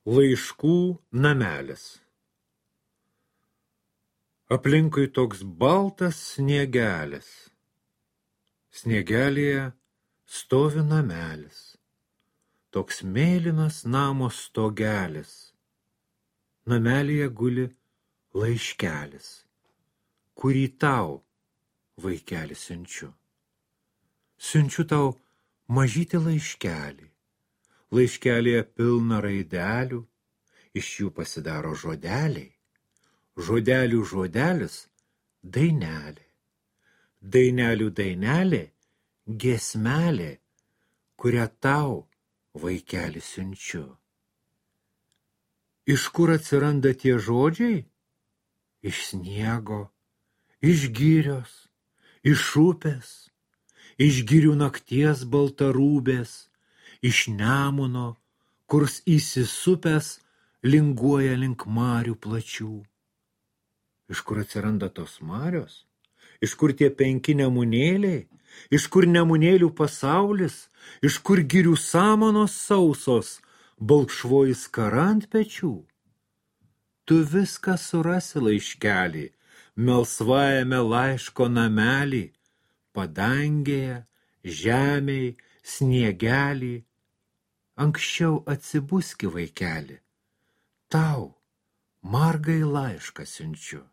Laiškų namelis. Aplinkui toks baltas sniegelis. Sniegelėje stovi namelis. Toks mėlynas namo stogelis. Namelyje guli laiškelis, kurį tau, vaikeli, siunčiu. Siunčiu tau mažytį laiškelį. Laiškelėje pilna raidelių, iš jų pasidaro žodeliai. Žodelių žodelis – dainelė. Dainelių dainelė – giesmelė, kurią tau, vaikeli, siunčiu. Iš kur atsiranda tie žodžiai? Iš sniego, iš girios, iš upės, iš girių nakties baltarūbės, iš Nemuno, kurs įsisupęs linguoja link marių plačių. Iš kur atsiranda tos marios? Iš kur tie 5 nemunėliai? Iš kur nemunėlių pasaulis? Iš kur girių samanos sausos, balkšvoji skara ant pečių? Tu viską surasi laiškelį, melsvajame laiško namelį, padangėje, žemėj, sniegelį. Anksčiau atsibuski, vaikeli, tau margai laišką siunčiu.